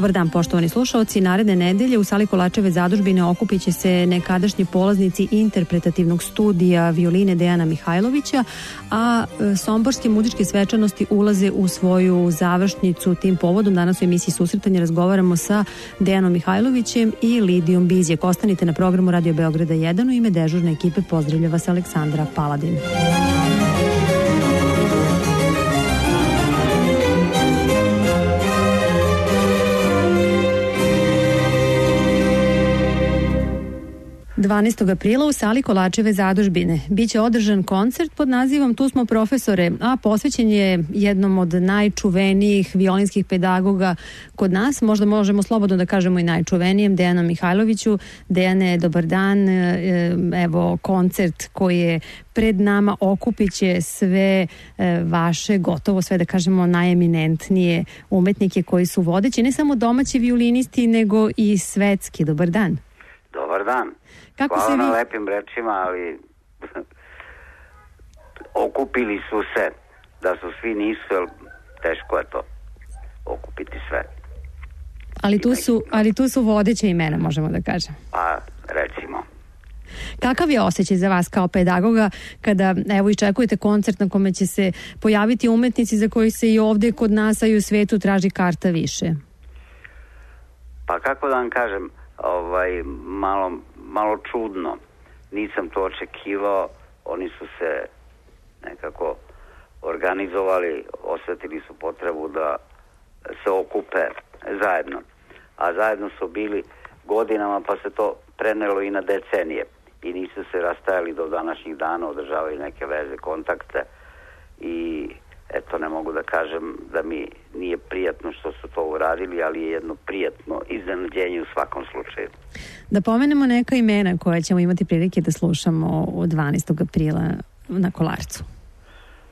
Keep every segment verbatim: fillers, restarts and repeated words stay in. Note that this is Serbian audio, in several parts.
Dobar dan, poštovani slušaoci. Naredne nedelje u sali Kolačeve zadužbine okupit će se nekadašnji polaznici interpretativnog studija violine Dejana Mihajlovića, a somborske muzičke svečanosti ulaze u svoju završnicu. Tim povodom danas u emisiji Susretanje razgovaramo sa Dejanom Mihajlovićem i Lidijom Bizjek. Ostanite na programu Radio Beograda jedan. U ime dežurne ekipe pozdravlja vas Aleksandra Paladin. dvanaestog aprila u sali Kolačeve zadužbine biće održan koncert pod nazivom Tu smo profesore, a posvećen je jednom od najčuvenijih violinskih pedagoga kod nas, možda možemo slobodno da kažemo i najčuvenijem, Dejanu Mihajloviću. Dejane, dobar dan. Evo, koncert koji je pred nama okupit će sve vaše, gotovo sve da kažemo najeminentnije umetnike koji su vodeći, ne samo domaći violinisti, nego i svetski. Dobar dan. Dobar dan. Kako Hvala se na vi... lepim rečima, ali okupili su se. Da su svi nisu, jer teško je to okupiti sve. Ali tu su, ali tu su vodeća imena, možemo da kažem. Pa, recimo. Kakav je osjećaj za vas kao pedagoga kada, evo, iščekujete koncert na kome će se pojaviti umetnici za koji se i ovde kod nas, a i u svetu traži karta više? Pa kako da vam kažem, ovaj, malo, malo čudno. Nisam to očekivao. Oni su se nekako organizovali, osjetili su potrebu da se okupe zajedno. A zajedno su bili godinama, pa se to prenelo i na decenije. I nisu se rastajali do današnjih dana, održavaju neke veze, kontakte. I eto, ne mogu da kažem da mi nije prijatno što su to uradili, ali je jedno prijatno iznenađenje u svakom slučaju. Da pomenemo neka imena koja ćemo imati prilike da slušamo od dvanaestog aprila na Kolarcu.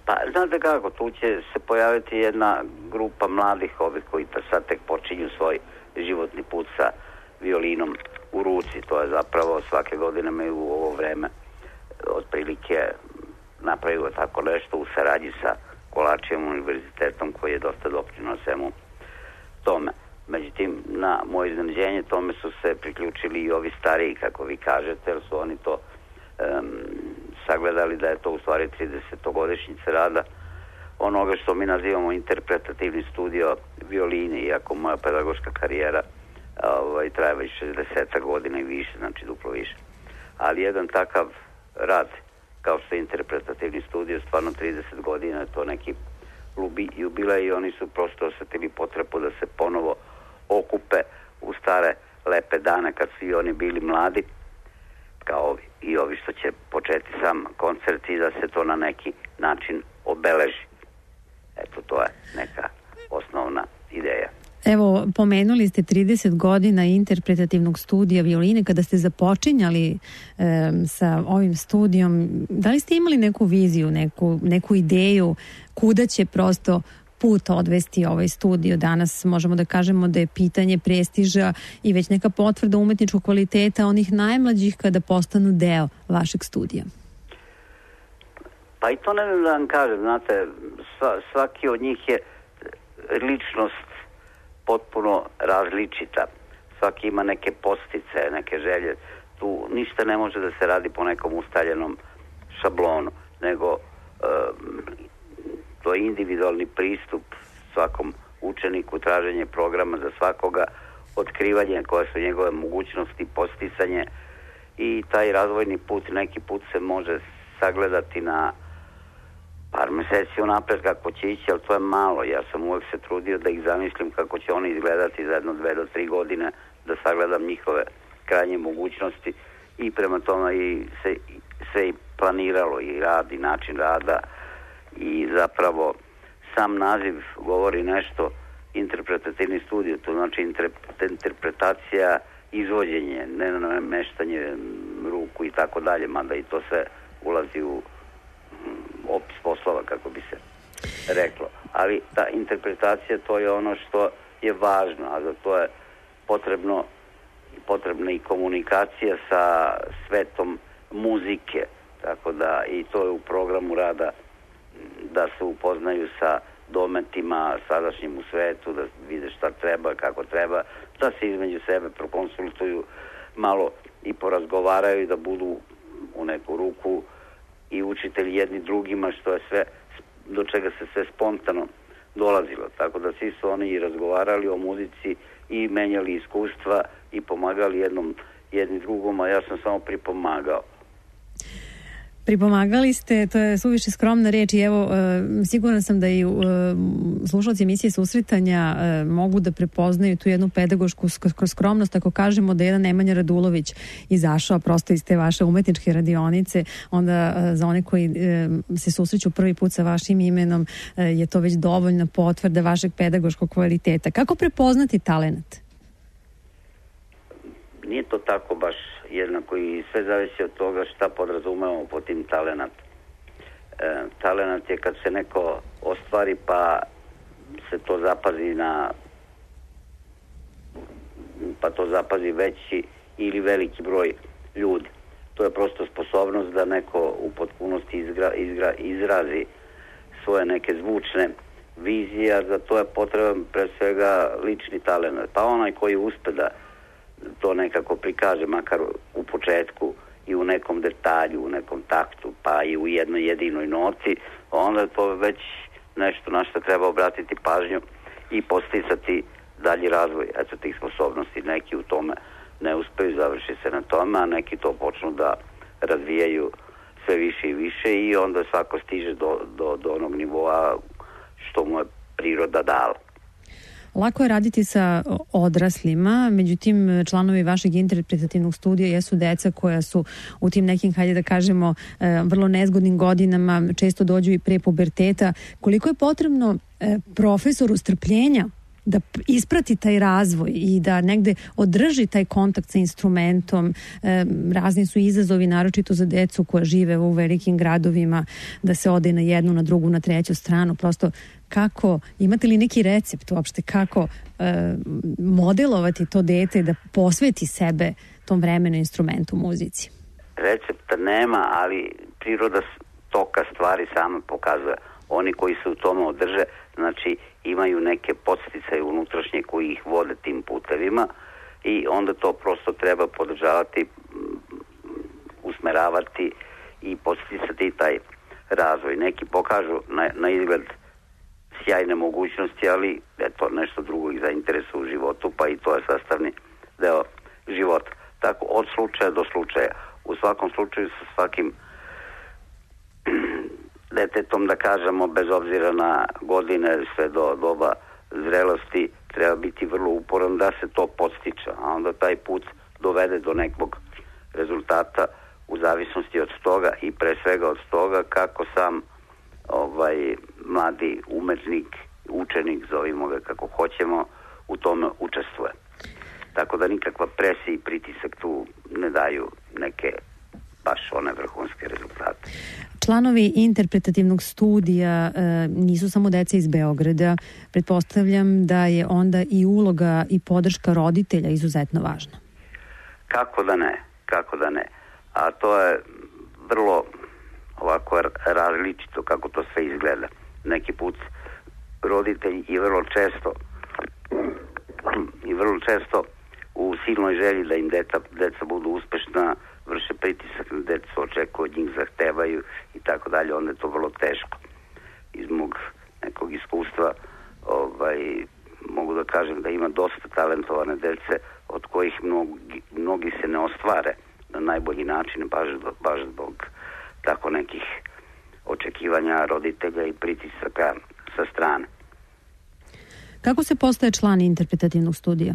Pa, znate kako, tu će se pojaviti jedna grupa mladih ovih koji sad tek počinju svoj životni put sa violinom u ruci. To je zapravo svake godine imaju u ovo vreme otprilike napravio tako nešto u saradnji sa Kolačevim univerzitetom koji je dosta doprinuo svemu tome. Međutim, na moje iznenađenje tome su se priključili i ovi stariji, kako vi kažete, jer su oni to um, sagledali da je to u stvari tridesetogodišnjica rada onoga što mi nazivamo interpretativni studio violine, iako moja pedagoška karijera ovaj, traje već šezdeset godina i više, znači duplo više. Ali jedan takav rad kao što je interpretativni studio, stvarno trideset godina, to neki jubilej i oni su prosto osjetili potrebu da se ponovo okupe u stare lepe dane kad su i oni bili mladi, kao ovi, i ovi što će početi sam koncert i da se to na neki način obeleži. Eto, to je neka osnovna ideja. Evo, pomenuli ste trideset godina interpretativnog studija violine. Kada ste započinjali e, sa ovim studijom, da li ste imali neku viziju, neku, neku ideju kuda će prosto put odvesti ovaj studio? Danas možemo da kažemo da je pitanje prestiža i već neka potvrda umetničkog kvaliteta onih najmlađih kada postanu deo vašeg studija. Pa i to ne znam da vam kažem, znate, sva, svaki od njih je ličnost potpuno različita. Svaki ima neke postice, neke želje. Tu ništa ne može da se radi po nekom ustaljenom šablonu, nego um, to je individualni pristup svakom učeniku, traženje programa za svakoga, otkrivanje koje su njegove mogućnosti, posticanje i taj razvojni put, neki put se može sagledati na par meseci unapred kako će ići, ali to je malo. Ja sam uvek se trudio da ih zamislim kako će oni izgledati za jedno, dve do tri godine, da sagledam njihove krajnje mogućnosti i prema tome i se, se i planiralo i rad i način rada i zapravo sam naziv govori nešto, interpretativni studio, to znači interpretacija, izvođenje, ne nameštanje ruku i tako dalje, mada i to sve ulazi u opis poslova, kako bi se reklo. Ali ta interpretacija, to je ono što je važno, a za to je potrebno potrebna i komunikacija sa svetom muzike, tako da i to je u programu rada da se upoznaju sa dometima sadašnjim u svetu, da vide šta treba, kako treba, da se između sebe prokonsultuju, malo i porazgovaraju, da budu u neku ruku i učitelji jedni drugima, što je sve, do čega se sve spontano dolazilo. Tako da svi su oni i razgovarali o muzici i menjali iskustva i pomagali jednom jedni drugom, a ja sam samo pripomagao. Pripomagali ste, to je suviše skromna reč i evo, siguran sam da i slušalci emisije Susretanja mogu da prepoznaju tu jednu pedagošku skromnost ako kažemo da je jedan Nemanja Radulović izašao prosto iz te vaše umetničke radionice, onda za one koji se susreću prvi put sa vašim imenom je to već dovoljna potvrda vašeg pedagoškog kvaliteta. Kako prepoznati talenat? Nije to tako baš jednako i sve zavisi od toga šta podrazumevamo po tim talenat. E, talenat je kad se neko ostvari pa se to zapazi na pa to zapazi veći ili veliki broj ljudi. To je prosto sposobnost da neko u potpunosti izgra, izgra, izrazi svoje neke zvučne vizije, a za to je potreban pre svega lični talenat. Pa onaj koji uspe da to nekako prikaže, makar u početku i u nekom detalju, u nekom taktu, pa i u jednoj jedinoj noti, onda je to već nešto na što treba obratiti pažnju i posticati dalji razvoj eto tih sposobnosti. Neki u tome ne uspeju, završi se na tome, a neki to počnu da razvijaju sve više i više i onda svako stiže do, do, do onog nivoa što mu je priroda dala. Lako je raditi sa odraslima, međutim članovi vašeg interpretativnog studija jesu deca koja su u tim nekim, hajde da kažemo, vrlo nezgodnim godinama, često dođu i pre puberteta. Koliko je potrebno profesoru strpljenja da isprati taj razvoj i da negde održi taj kontakt sa instrumentom? Razni su izazovi, naročito za decu koja žive u velikim gradovima, da se ode na jednu, na drugu, na treću stranu. Prosto kako, imate li neki recept uopšte kako e, modelovati to dete da posveti sebe tom vremenu, instrumentu, muzici? Recepta nema, ali priroda toka stvari sama pokazuje. Oni koji se u tome održe, znači imaju neke podsticaje unutrašnje koji ih vode tim putevima i onda to prosto treba podržavati, usmeravati i podsticati taj razvoj. Neki pokažu na, na izgled sjajne mogućnosti, ali eto, nešto drugo ih zainteresuje u životu, pa i to je sastavni deo života. Tako, od slučaja do slučaja. U svakom slučaju sa svakim detetom, da kažemo, bez obzira na godine, sve do doba zrelosti, treba biti vrlo uporan da se to podstiče, a onda taj put dovede do nekog rezultata u zavisnosti od toga i pre svega od toga kako sam ovaj mladi umetnik, učenik, zovimo ga kako hoćemo, u tome učestvuje. Tako da nikakva presija i pritisak tu ne daju neke baš one vrhunske rezultate. Članovi interpretativnog studija e, nisu samo deca iz Beograda. Pretpostavljam da je onda i uloga i podrška roditelja izuzetno važna. Kako da ne, kako da ne. A to je vrlo ovako različito kako to sve izgleda. Neki put roditelji i vrlo često i vrlo često u silnoj želji da im deca, deca budu uspešna, vrše pritisak na decu, očekuju od njih, zahtevaju i tako dalje, onda je to vrlo teško. Iz mog nekog iskustva ovaj, mogu da kažem da ima dosta talentovane dece od kojih mnogi, mnogi se ne ostvare na najbolji način, baš, baš zbog tako nekih očekivanja roditelja i pritisaka sa strane. Kako se postaje član interpretativnog studija?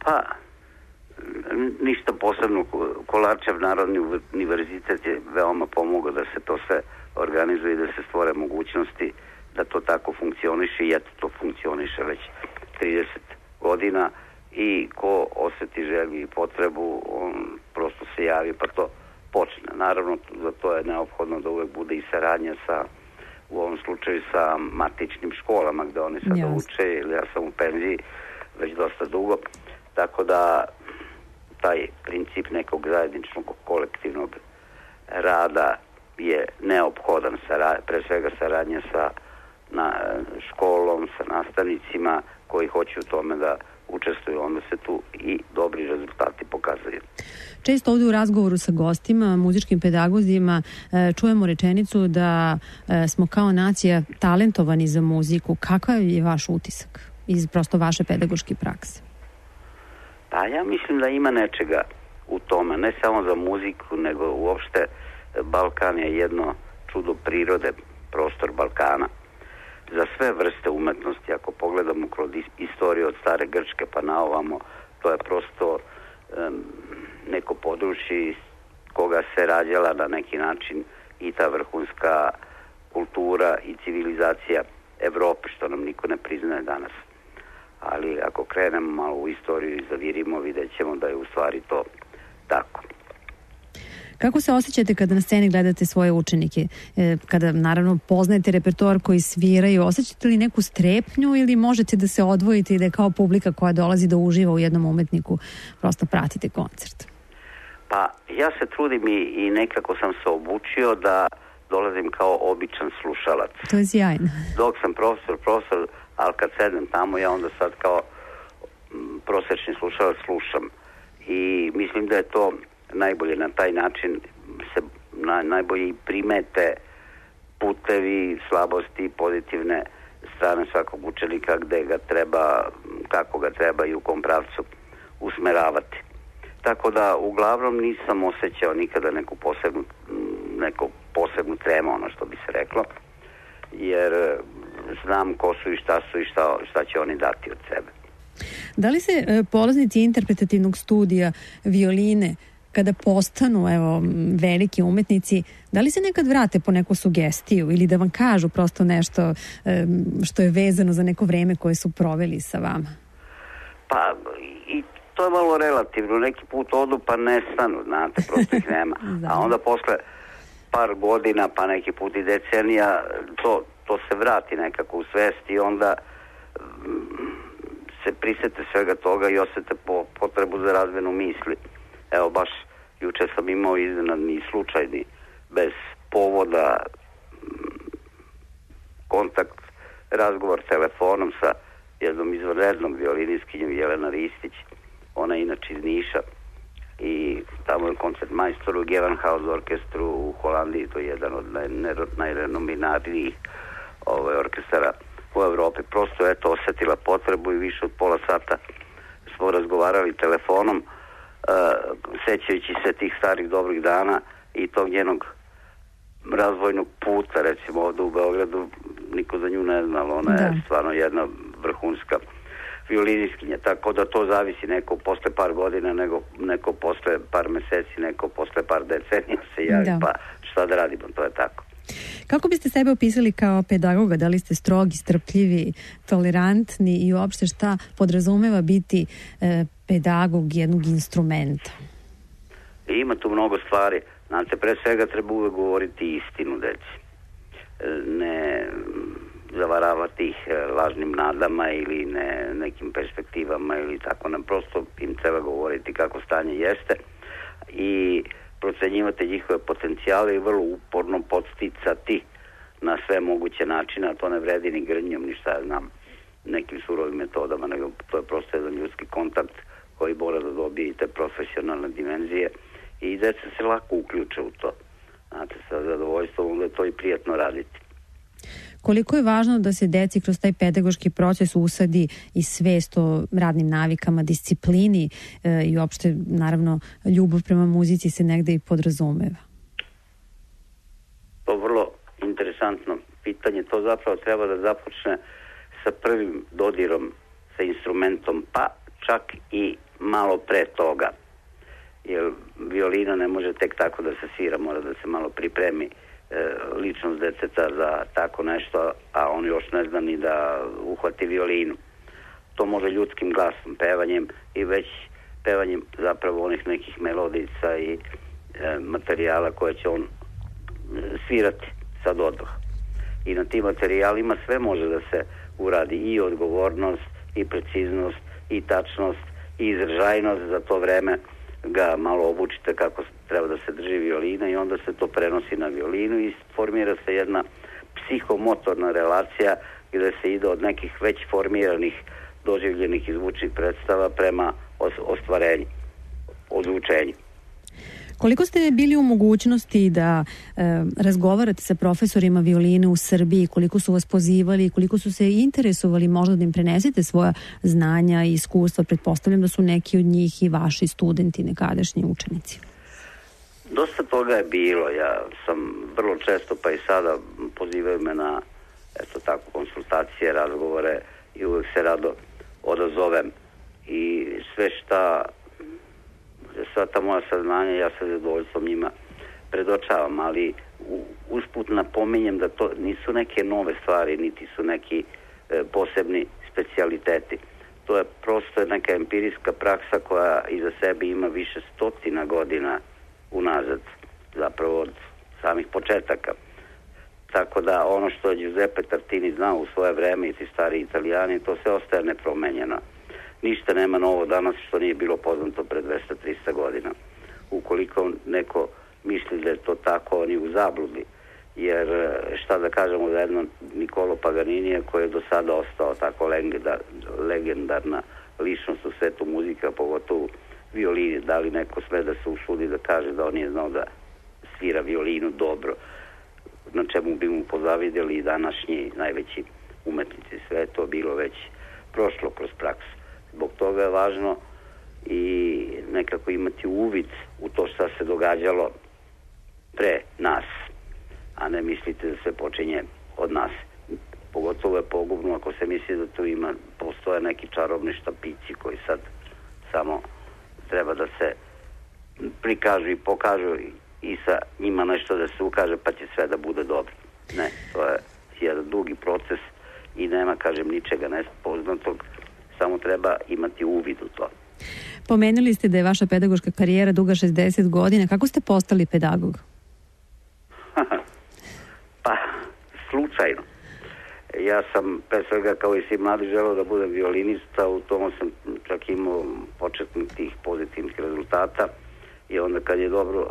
Pa, ništa posebno. Kolarčev Narodni univerzitet je veoma pomogao da se to sve organizuje i da se stvore mogućnosti da to tako funkcioniše i eto to funkcioniše već trideset godina i ko osjeti želju i potrebu, on prosto se javi pa to počne. Naravno, za to je neophodno da uvek bude i saradnja sa, u ovom slučaju sa matičnim školama gde oni sada yes. uče, ili ja sam u penziji već dosta dugo, tako da taj princip nekog zajedničnog kolektivnog rada je neophodan, pre svega saradnja sa na, školom, sa nastavnicima koji hoće u tome da učestvuju, onda se tu i dobri rezultati pokazuju. Često ovdje u razgovoru sa gostima, muzičkim pedagozima, čujemo rečenicu da smo kao nacija talentovani za muziku. Kakav je vaš utisak iz prosto vaše pedagoške prakse? Pa ja mislim da ima nečega u tome, ne samo za muziku, nego uopšte Balkan je jedno čudo prirode, prostor Balkana. Za sve vrste umetnosti, ako pogledamo kroz istoriju od stare Grčke pa na ovamo, to je prosto um, neko područje iz koga se rađala na neki način i ta vrhunska kultura i civilizacija Evrope, što nam niko ne priznaje danas. Ali ako krenemo malo u istoriju i zavirimo, vidjet ćemo da je u stvari to tako. Kako se osjećate kada na sceni gledate svoje učenike? E, kada naravno poznajete repertoar koji sviraju, osjećate li neku strepnju ili možete da se odvojite i da je kao publika koja dolazi da uživa u jednom umetniku prosto pratite koncert? Pa ja se trudim i, i nekako sam se obučio da dolazim kao običan slušalac. To je sjajno. Dok sam profesor, profesor, ali kad sedem tamo ja onda sad kao m, prosječni slušalac slušam. I mislim da je to najbolje na taj način se na, najbolje i primete putevi, slabosti, pozitivne strane svakog učenika gde ga treba, kako ga treba i u kom pravcu usmeravati. Tako da uglavnom nisam osjećao nikada neku posebnu, neku posebnu tremu, ono što bi se reklo, jer znam ko su i šta su i šta, šta će oni dati od sebe. Da li se e, polaznici interpretativnog studija violine kada postanu evo, veliki umetnici, da li se nekad vrate po neku sugestiju ili da vam kažu prosto nešto e, što je vezano za neko vreme koje su proveli sa vama? Pa i to je malo relativno. Neki put odu pa nestanu, znate, prosto ih nema. A onda posle par godina, pa neki put i decenija, to, to se vrati nekako u svest i onda se prisete svega toga i osjete po, potrebu za razmenu misli. Evo, baš juče sam imao iznenadni slučajni, bez povoda, kontakt, razgovor telefonom sa jednom izvanrednom violinistkinjom Jelena Ristić. Ona je inače iz Niša i tamo je koncert majstor u Gewandhaus orkestru u Holandiji, to je jedan od najrenominarnijih ovaj, orkestara u Evropi. Prosto je to osjetila potrebu i više od pola sata smo razgovarali telefonom, uh, sećajući se tih starih dobrih dana i tog njenog razvojnog puta, recimo ovdje u Beogradu, niko za nju ne zna, ali ona da. je stvarno jedna vrhunska violinistkinja, tako da to zavisi, neko posle par godina, nego, neko posle par meseci, neko posle par decenija se javi, da. pa šta da radimo, to je tako. Kako biste sebe opisali kao pedagoga? Da li ste strogi, strpljivi, tolerantni i uopšte šta podrazumeva biti e, pedagog jednog instrumenta? Ima tu mnogo stvari. Znate, pre svega treba uvek govoriti istinu deci. Ne zavaravati ih lažnim nadama ili ne, nekim perspektivama ili tako. Ne, prosto im treba govoriti kako stanje jeste i procenjivati njihove potencijale i vrlo uporno podsticati na sve moguće načine, a to ne vredi ni grnjom, ni šta ja znam, nekim surovim metodama, nego to je prosto jedan ljudski kontakt koji mora da dobije i te profesionalne dimenzije i deca se lako uključe u to. Znate, sa zadovoljstvom onda je to i prijatno raditi. Koliko je važno da se deci kroz taj pedagoški proces usadi i svest o radnim navikama, disciplini e, i uopšte, naravno, ljubav prema muzici se negde i podrazumeva? To je vrlo interesantno pitanje. To zapravo treba da započne sa prvim dodirom sa instrumentom, pa čak i malo pre toga. Jer violina ne može tek tako da se svira, mora da se malo pripremi ličnost deteta za tako nešto, a on još ne zna ni da uhvati violinu. To može ljudskim glasom, pevanjem i već pevanjem zapravo onih nekih melodica i e, materijala koje će on e, svirati sad odmah. I na tim materijalima sve može da se uradi, i odgovornost, i preciznost, i tačnost, i izražajnost za to vreme. ga malo obučite kako treba da se drži violina i onda se to prenosi na violinu i formira se jedna psihomotorna relacija gde se ide od nekih već formiranih doživljenih i zvučnih predstava prema ostvarenju, odvučenju. Koliko ste bili u mogućnosti da e, razgovarate sa profesorima violine u Srbiji, koliko su vas pozivali, koliko su se interesovali možda da im prenesete svoja znanja i iskustva? Pretpostavljam da su neki od njih i vaši studenti, nekadašnji učenici. Dosta toga je bilo. Ja sam vrlo često, pa i sada, pozivaju me na eto tako, konsultacije, razgovore i uvek se rado odazovem i sve šta sva ta moja saznanja ja sa zadovoljstvom njima predočavam, ali usput napominjem da to nisu neke nove stvari, niti su neki e, posebni specijaliteti. To je prosto neka empirijska praksa koja iza sebe ima više stotina godina unazad, zapravo od samih početaka. Tako da ono što je Giuseppe Tartini znao u svoje vreme i ti stari Italijani, to sve ostaje nepromenjeno. Ništa nema novo danas što nije bilo poznato pre dvesta do trista godina. Ukoliko neko misli da je to tako, on je u zabludi. Jer šta da kažemo za jedno Nikolo Paganinija koji je do sada ostao tako legendar, legendarna ličnost u svetu muzika, pogotovo violini. Da li neko sve da se usudi da kaže da on nije znao da svira violinu dobro, na čemu bi mu pozavidjeli i današnji najveći umetnici. Sve je to bilo već prošlo kroz praksu. Zbog toga je važno i nekako imati uvid u to šta se događalo pre nas, a ne mislite da sve počinje od nas. Pogotovo je pogubno ako se misli da tu ima, postoje neki čarobni štapići koji sad samo treba da se prikažu i pokažu i sa njima nešto da se ukaže pa će sve da bude dobro. Ne, to je jedan dugi proces i nema, kažem, ničega nespoznatog, samo treba imati uvid u to. Pomenuli ste da je vaša pedagoška karijera duga šezdeset godina. Kako ste postali pedagog? Pa, slučajno. Ja sam, pre svega, kao i svi mladi, želeo da budem violinista, u tomu sam čak imao početnih tih pozitivnih rezultata i onda kad je dobro,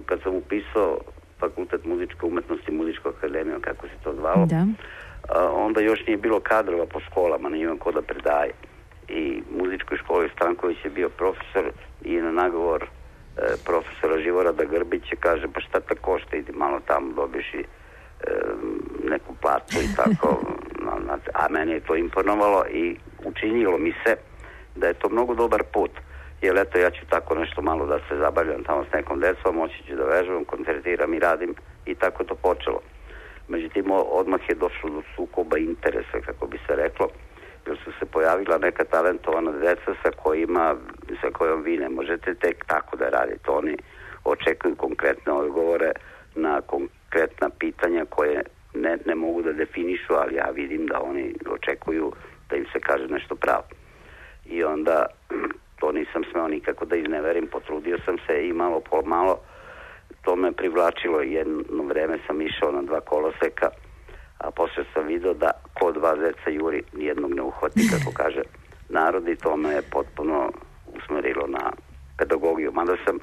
kad sam upisao Fakultet muzičke umetnosti, muzičku akademiju, kako se to zvalo, da. Onda još nije bilo kadrova po školama, nije imam ko da predaje. I muzičkoj školi Stanković je bio profesor i na nagovor e, profesora Živorada Grbića kaže, pa šta ta košta, idi malo tamo, dobiš i e, neku platu i tako. A meni je to imponovalo i učinilo mi se da je to mnogo dobar put. Jer eto, ja ću tako nešto malo da se zabavljam tamo s nekom decom, moći ću da vežbam, koncertiram i radim i tako to počelo. Međutim, odmah je došlo do sukoba interesa, kako bi se reklo, jer su se pojavila neka talentovana deca sa kojima, sa kojom vi ne možete tek tako da radite. Oni očekuju konkretne odgovore na konkretna pitanja koje ne, ne mogu da definišu, ali ja vidim da oni očekuju da im se kaže nešto pravo. I onda to nisam smeo nikako da izneverim, potrudio sam se i malo po malo to me privlačilo. Jedno vreme sam išao na dva koloseka, a posle sam vidio da ko dva zeca juri nijednog ne uhvati, kako kaže narod, i to me je potpuno usmerilo na pedagogiju. Mada sam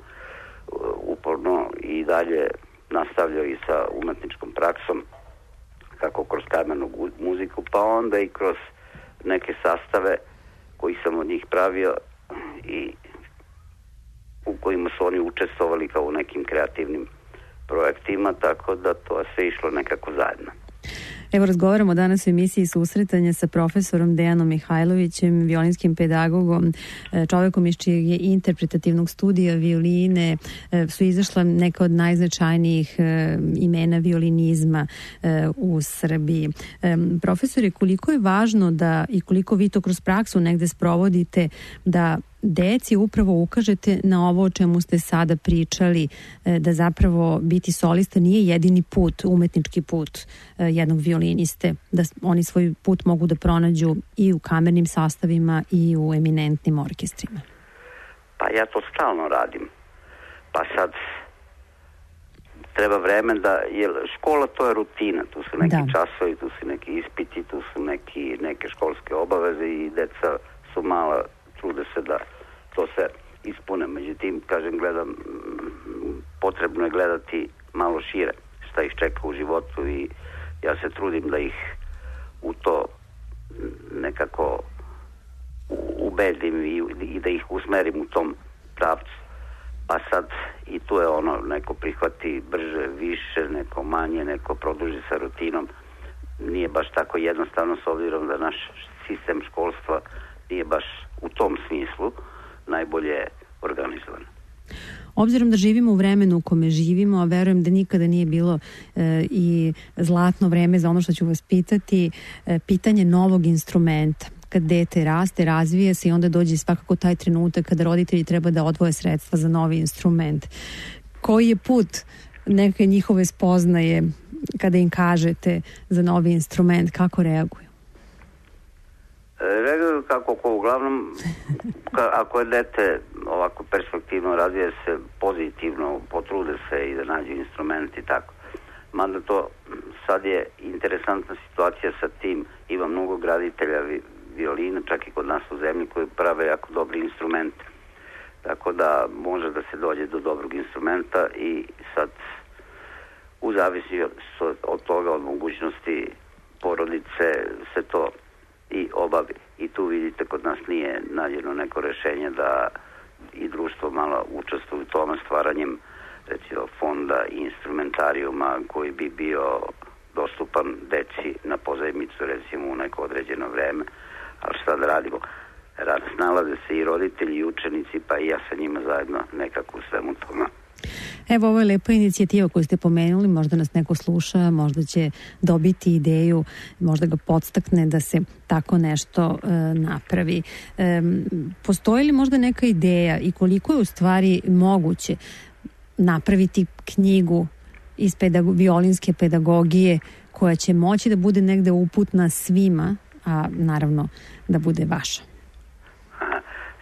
uporno i dalje nastavljao i sa umetničkom praksom, kako kroz kamernu muziku, pa onda i kroz neke sastave koji sam od njih pravio i u kojima su oni učestvovali kao u nekim kreativnim projektima, tako da to je sve išlo nekako zajedno. Evo, razgovaramo danas u emisiji Susretanja sa profesorom Dejanom Mihajlovićem, violinskim pedagogom, čovekom iz čijeg je interpretativnog studija violine su izašla neka od najznačajnijih imena violinizma u Srbiji. Profesore, koliko je važno da i koliko vi to kroz praksu negde sprovodite da deci upravo ukažete na ovo o čemu ste sada pričali, da zapravo biti solista nije jedini put, umetnički put jednog violiniste, da oni svoj put mogu da pronađu i u kamernim sastavima i u eminentnim orkestrima? Pa ja to stalno radim. Pa sad treba vreme da, jer škola to je rutina, tu su neki da. časovi, tu su neki ispiti, tu su neki, neke školske obaveze i deca su mala, trude se da to se ispune. Međutim, kažem, gledam, potrebno je gledati malo šire šta ih čeka u životu i ja se trudim da ih u to nekako ubedim i, i da ih usmerim u tom pravcu. Pa sad i tu je ono, neko prihvati brže, više, neko manje, neko produži sa rutinom. Nije baš tako jednostavno, s obzirom da naš sistem školstva nije baš u tom smislu najbolje organizovan. Obzirom da živimo u vremenu u kome živimo, a verujem da nikada nije bilo e, i zlatno vreme za ono što ću vas pitati, e, pitanje novog instrumenta. Kad dete raste, razvije se i onda dođe svakako taj trenutak kada roditelji treba da odvoje sredstva za novi instrument. Koji je put neke njihove spoznaje kada im kažete za novi instrument, kako reaguju? Reaguju kako ko, uglavnom ka, ako je dete ovako perspektivno, razvije se pozitivno, potrude se i da nađu instrument i tako. Mada to sad je interesantna situacija sa tim, ima mnogo graditelja vi, violina, čak i kod nas u zemlji, koji prave jako dobri instrumente. Tako da može da se dođe do dobrog instrumenta i sad u zavisnosti od, od toga, od mogućnosti porodice se to i obavi. I tu vidite, kod nas nije nađeno neko rešenje da i društvo malo učestvuje u tome stvaranjem recimo fonda i instrumentarijuma koji bi bio dostupan deci na pozajmicu recimo u neko određeno vreme. Ali šta da radimo? Snalaze se i roditelji i učenici, pa i ja sa njima zajedno nekako u svemu tome. Evo, ovo je lepa inicijativa koju ste pomenuli, možda nas neko sluša, možda će dobiti ideju, možda ga podstakne da se tako nešto e, napravi. E, postoji li možda neka ideja i koliko je u stvari moguće napraviti knjigu iz pedago- violinske pedagogije koja će moći da bude negde uputna svima, a naravno da bude vaša?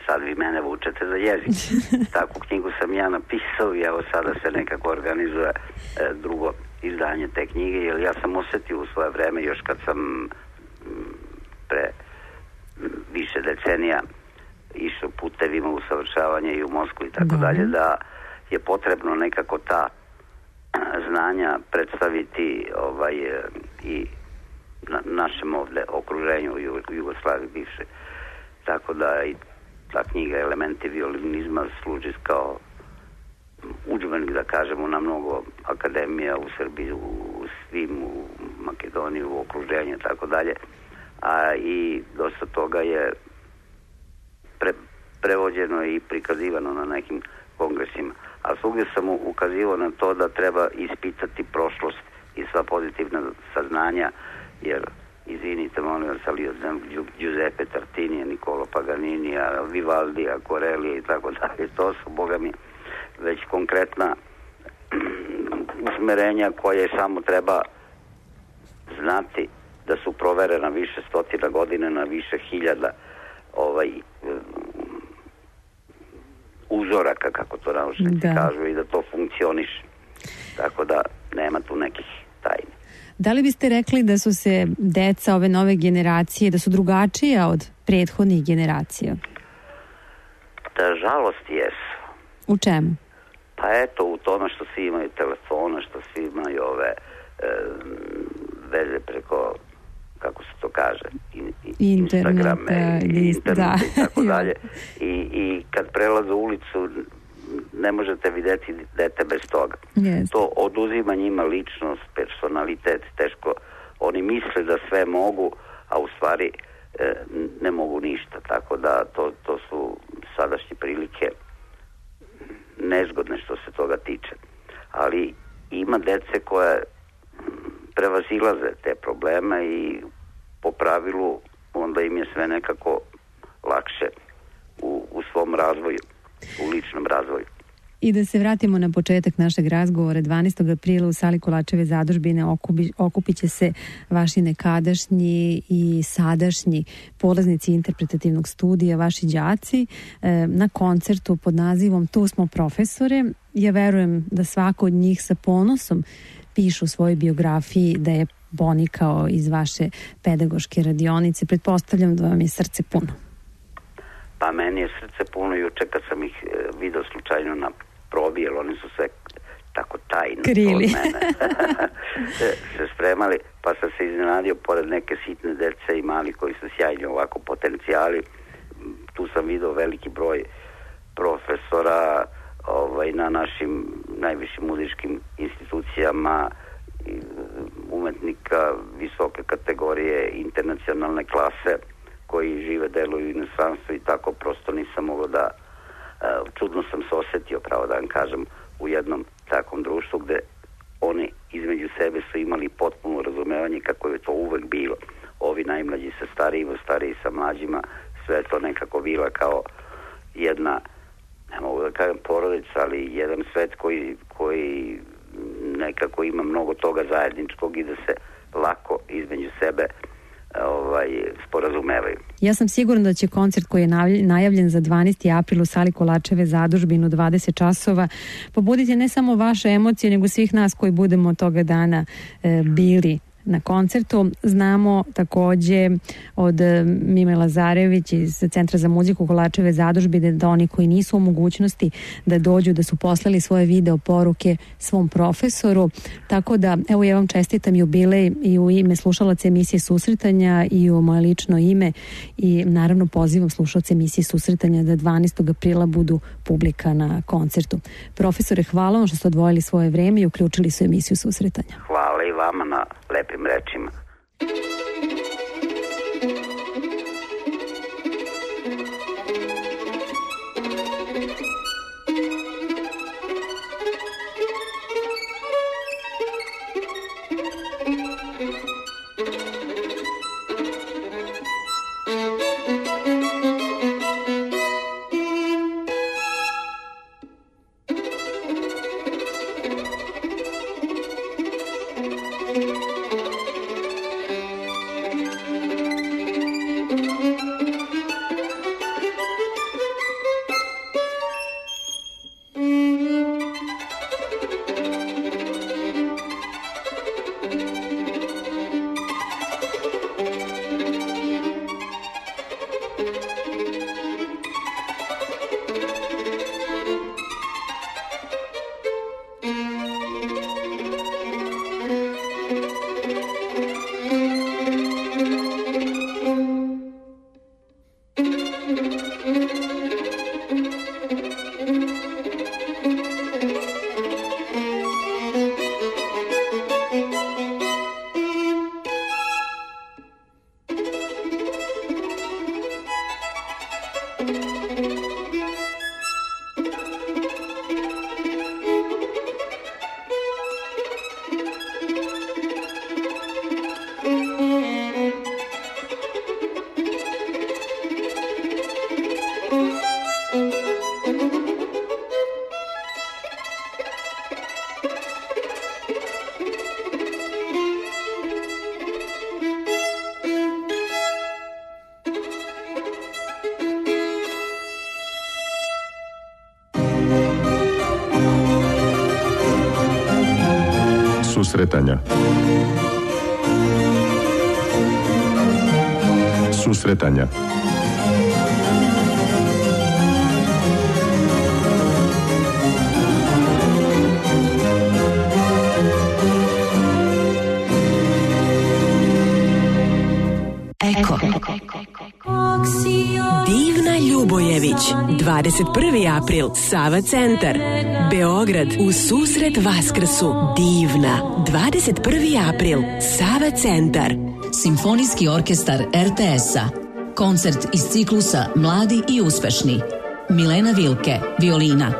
Sad vi mene vučete za jezik. Takvu knjigu sam ja napisao i evo sada se nekako organizuje e, drugo izdanje te knjige, jer ja sam osetio u svoje vreme, još kad sam m, pre m, više decenija išao putevima usavršavanja i u Moskvu i tako dalje, da je potrebno nekako ta znanja predstaviti ovaj, i na našem ovde okruženju u Jugoslaviji bivše. Tako da i ta knjiga Elementi violinizma služi kao udžbenik, da kažemo, na mnogo akademija u Srbiji, u svim, u Makedoniji, u okruženju i tako dalje. A i dosta toga je pre, prevođeno i prikazivano na nekim kongresima. A svugdje sam ukazivao na to da treba ispitati prošlost i sva pozitivna saznanja, jer izvinite, molim vas, ali od Giuseppe Tartinija, Niccolo Paganinija, Vivaldija, Corellija i tako dalje, to su, boga mi, već konkretna usmerenja koje samo treba znati da su proverena više stotina godina na više hiljada ovaj uzoraka, kako to naučnici kažu, i da to funkcioniše. Tako da nema tu nekih tajni. Da li biste rekli da su se deca ove nove generacije, da su drugačija od prethodnih generacija? Da, žalost jesu. U čemu? Pa eto, u tome što svi imaju telefona, što svi imaju ove e, veze preko, kako se to kaže, in, Instagrame i internet i tako dalje. I, I kad prelaze ulicu ne možete vidjeti dete bez toga. Yes. To oduzima njima ličnost, personalitet, teško. Oni misle da sve mogu, a u stvari e, ne mogu ništa. Tako da to, to su sadašnje prilike nezgodne što se toga tiče. Ali ima dece koje prevazilaze te probleme i po pravilu onda im je sve nekako lakše u, u svom razvoju, u ličnom razvoju. I da se vratimo na početak našeg razgovora. dvanaestog aprila u sali Kolačeve zadužbine okupi, okupit će se vaši nekadašnji i sadašnji polaznici interpretativnog studija, vaši đaci, na koncertu pod nazivom Tu smo profesore. Ja verujem da svako od njih sa ponosom pišu u svojoj biografiji da je ponikao iz vaše pedagoške radionice. Pretpostavljam da vam je srce puno. Pa meni je srce puno juče kad sam ih video slučajno na probi, jer oni su sve tako tajno krili. Od mene se, se spremali, pa sam se iznenadio pored neke sitne dece i mali koji su sjajni ovako potencijali. Tu sam video veliki broj profesora ovaj, na našim najvišim muzičkim institucijama, umetnika visoke kategorije, internacionalne klase koji žive, deluju u inostranstvu i tako prosto nisam mogao da čudno sam se osjetio, pravo da vam kažem, u jednom takvom društvu gde oni između sebe su imali potpuno razumevanje kako je to uvek bilo. Ovi najmlađi sa starijima, stariji sa mlađima, sve je to nekako bila kao jedna, ne mogu da kažem porodica, ali jedan svet koji, koji nekako ima mnogo toga zajedničkog i da se lako između sebe ovaj, sporazumevaju. Ja sam sigurna da će koncert koji je najavljen za dvanaesti april u sali Kolarčeve zadužbine u dvadeset časova pobuditi ne samo vaše emocije, nego svih nas koji budemo toga dana e, bili na koncertu. Znamo takođe od Mime Lazarević iz Centra za muziku Kolarčeve zadužbine da oni koji nisu u mogućnosti da dođu, da su poslali svoje video poruke svom profesoru. Tako da, evo ja vam čestitam jubilej i u ime slušalaca emisije Susretanja i u moje lično ime i naravno pozivam slušalce emisije Susretanja da dvanaestog aprila budu publika na koncertu. Profesore, hvala vam što ste odvojili svoje vreme i uključili su emisiju Susretanja. Hvala i vama na lepim rečima. Susretanja. Susretanja. Eko. Divna Ljubojević, dvadeset prvi april, Sava centar, Beograd, u susret Vaskrsu. Divna, dvadeset prvi april, Sava centar. Simfonijski orkestar er te es-a. Koncert iz ciklusa Mladi i uspešni. Milena Vilke, violina.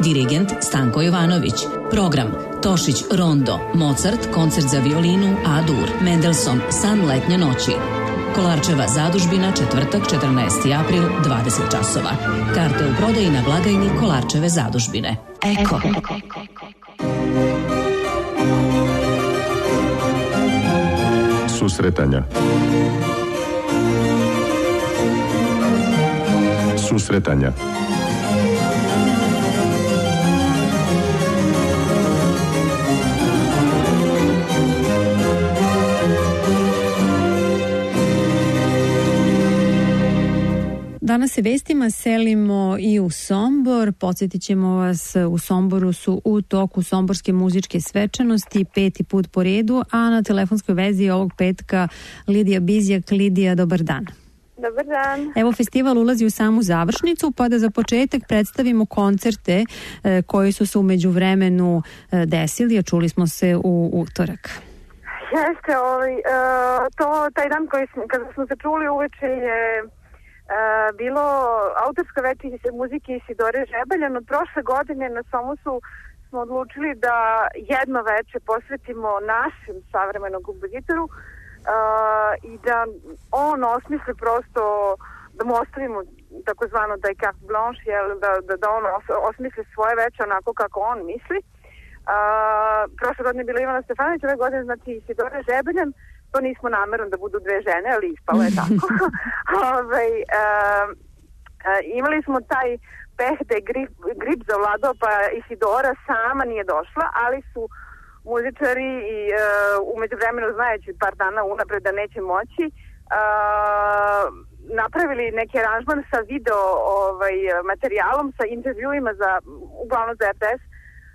Dirigent Stanko Jovanović. Program Tošić Rondo, Mozart, koncert za violinu A-dur, Mendelssohn, San letnje noći. Kolarčeva zadužbina, četvrtak, četrnaesti april, dvadeset časova. Karte u prodaji na blagajni Kolarčeve zadužbine. Eko. Susretanja. Susretanja. Danas Danas se vestima selimo i u Sombor. Podsjetit ćemo vas, u Somboru su u toku somborske muzičke svečanosti peti put po redu, a na telefonskoj vezi ovog petka Lidija Bizjak. Lidija, dobar dan. Dobar dan. Evo, festival ulazi u samu završnicu, pa da za početak predstavimo koncerte e, koji su se u međuvremenu e, desili, a čuli smo se u utorak. Jeste, ovaj, uh, to, taj dan koji smo, kada smo se čuli uveče je uh, bilo autorsko veče muzike Isidore Žebaljan. Od prošle godine na Somosu smo odlučili da jedno veče posvetimo našem savremenom kompozitoru uh, i da on osmisli prosto, da mu ostavimo takozvano da je carte blanche, jel, da, da, da on osmisli svoje veče onako kako on misli. Uh, prošle godine je bila Ivana Stefanović, ove godine znači Isidora Žebaljan. To nismo namerno da budu dve žene, ali ispalo je tako. Ove, uh, uh, imali smo taj peh da je grip, grip zavladao, pa Isidora sama nije došla, ali su muzičari i uh, umeđu vremenu znajući par dana unapred da neće moći, uh, napravili neki aranžman sa video ovaj, materijalom, sa intervjuima za, uglavnom za R T S,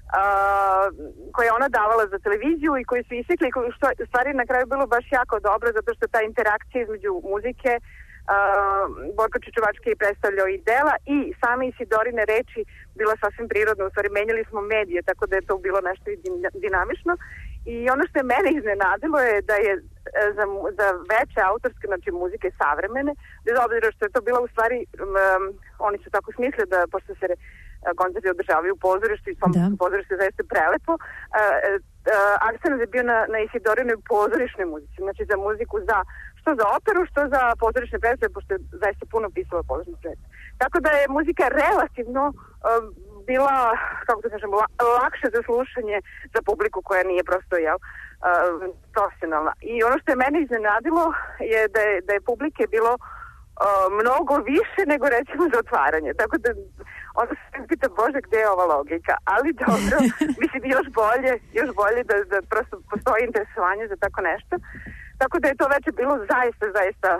Uh, koje je ona davala za televiziju i koji su isekli, što u stvari na kraju bilo baš jako dobro, zato što ta interakcija između muzike, uh, Borko Čečevački je predstavljao i dela i same Isidorine reči bila sasvim prirodno, u stvari menjali smo medije, tako da je to bilo nešto dinamično. I ono što je mene iznenadilo je da je za, za veće autorske, znači muzike savremene, bez obzira što je to bila u stvari, um, oni su tako smislili da, pošto se koncerti održavaju u pozorištu i Somborsko pozorište je zaista prelepo, uh, uh, akcent je bio na, na Isidorinoj pozorišnoj muzici, znači za muziku za, što za operu, što za pozorišne predstave, pošto je zaista puno pisala pozorišne predstave. Tako da je muzika relativno uh, bila, kako da kažem, la, lakše za slušanje za publiku koja nije prosto, jel, uh, profesionalna. I ono što je mene iznenadilo je da je, da je publike bilo uh, mnogo više nego recimo za otvaranje. Tako da onda se pita, Bože, gde je ova logika? Ali dobro, mislim još bolje, još bolje da, da prosto postoji interesovanje za tako nešto. Tako da je to veče bilo zaista, zaista,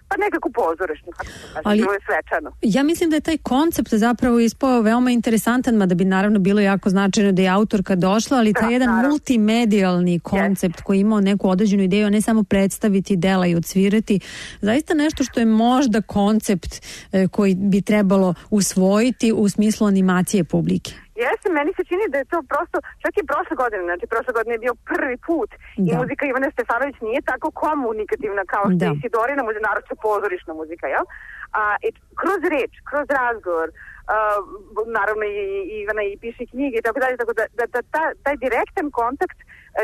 pa nekako pozorišno, kako se kaže, bilo je svečano. Ja mislim da je taj koncept zapravo ispao veoma interesantan, mada bi naravno bilo jako značajno da je autorka došla, ali taj da, jedan naravno. multimedijalni koncept yes. koji imao neku određenu ideju, a ne samo predstaviti dela i odsvirati, zaista nešto što je možda koncept eh, koji bi trebalo usvojiti u smislu animacije publike. Jeste, meni se čini da je to prosto, čak i prošle godine, znači prošle godine je bio prvi put da. I muzika Ivane Stefanović nije tako komunikativna kao što je Isidorina muzika, naravno pozorišna muzika, jel? A, i kroz reč, kroz razgovor, a, naravno i, i Ivana i piše knjige i tako dalje, tako da, da, da ta, taj direktan kontakt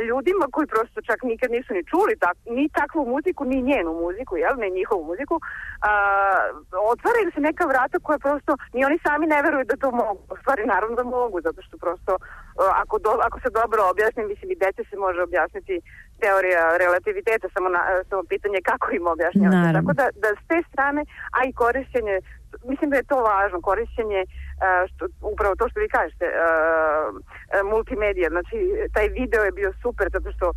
ljudima koji prosto čak nikad nisu ni čuli tak, ni takvu muziku, ni njenu muziku, jel, ne njihovu muziku, a, otvaraju se neka vrata koja prosto, ni oni sami ne veruju da to mogu, u stvari naravno da mogu, zato što prosto, ako, do, ako se dobro objasni, mislim i dece se može objasniti teorija relativiteta, samo, na, samo pitanje kako im objašnjavati. Tako da, da s te strane, a i korišćenje, mislim da je to važno, korišćenje, što, upravo to što vi kažete, multimedija, znači taj video je bio super, zato što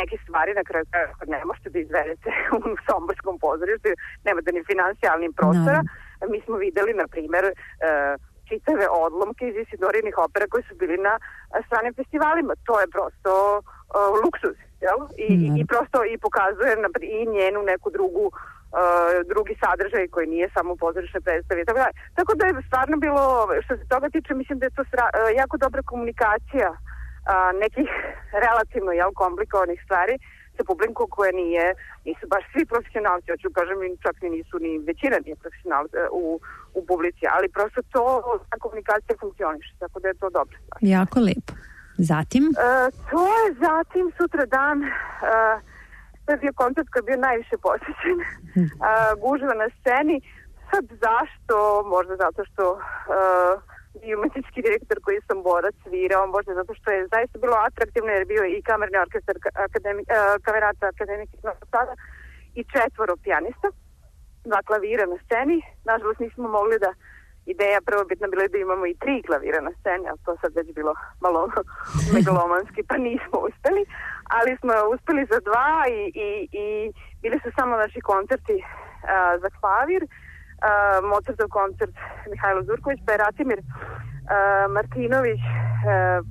neke stvari na kraju ne možete da izvedete u somborskom pozorištu, nemate ni finansijalnih prostora. No. Mi smo videli, na primjer, čitave odlomke iz Isidorinih opera koji su bili na stranim festivalima. To je prosto uh, luksuz, jel? I, mm. i prosto i pokazuje i njenu neku drugu uh, drugi sadržaj koji nije samo pozorišne predstave. Tako da, tako da je stvarno bilo, što se toga tiče, mislim da je to sra, uh, jako dobra komunikacija uh, nekih relativno, jel, komplikovanih stvari sa publikom koja nije, nisu baš svi profesionalci, hoću kažem, čak ni nisu ni većina nije profesional u, u publici, ali prosto to, ta komunikacija funkcioniše, tako da je to dobro. Jako lepo. Zatim? E, to je zatim sutra dan, e, to je bio koncert koji je bio najviše posjećen, e, gužva na sceni. Sad zašto? Možda zato što e, i umetnički direktor koji sam borac svirao, možda zato što je zaista bilo atraktivno jer bio i kamerni orkestar akademi, uh, kamerata Akademike Novog Sada i četvoro pijanista, dva klavira na sceni. Nažalost nismo mogli da, ideja prvobitna bila da imamo i tri klavira na sceni, ali to sad već bilo malo megalomanski, pa nismo uspeli, ali smo uspeli za dva i, i, i bili su samo naši koncerti uh, za klavir. uh, Mozartov koncert Mihajlo Zurković, pa je Ratimir uh, Martinović uh,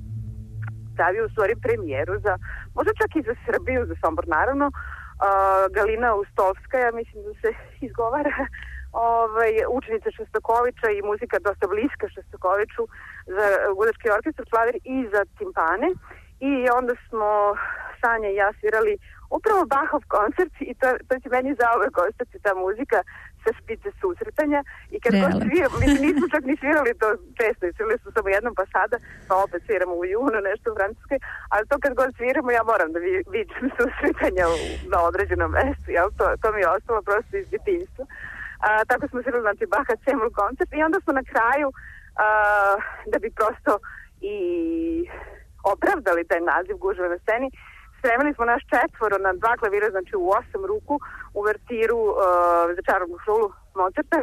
stavio u stvari premijeru za, možda čak i za Srbiju, za Sombor naravno, uh, Galina Ustovskaja, mislim da se izgovara, ovaj, učenica Šostakovića i muzika dosta bliska Šostakoviću za gudački orkestar, klavir i za timpane. I onda smo Sanja i ja svirali upravo Bachov koncert i to, to će meni zauvek ostati ta muzika sa špice susretanja i kad god sviramo, mi nismo čak ni svirali to često, svirali smo samo jednom pa sada, pa opet sviramo u junu nešto u Francuskoj, ali to kad god sviramo ja moram da vidim susretanja u, na određenom mestu, jel? To, to mi je ostalo prosto iz djetinjstva. A, tako smo svirali, znači, Bacha Cemul koncert i onda smo na kraju a, da bi prosto i opravdali taj naziv Gužve na sceni, spremili smo naš četvoro na dva klavira, znači u osam ruku, uvertiru uh, za čarobnu šulu Mozarta,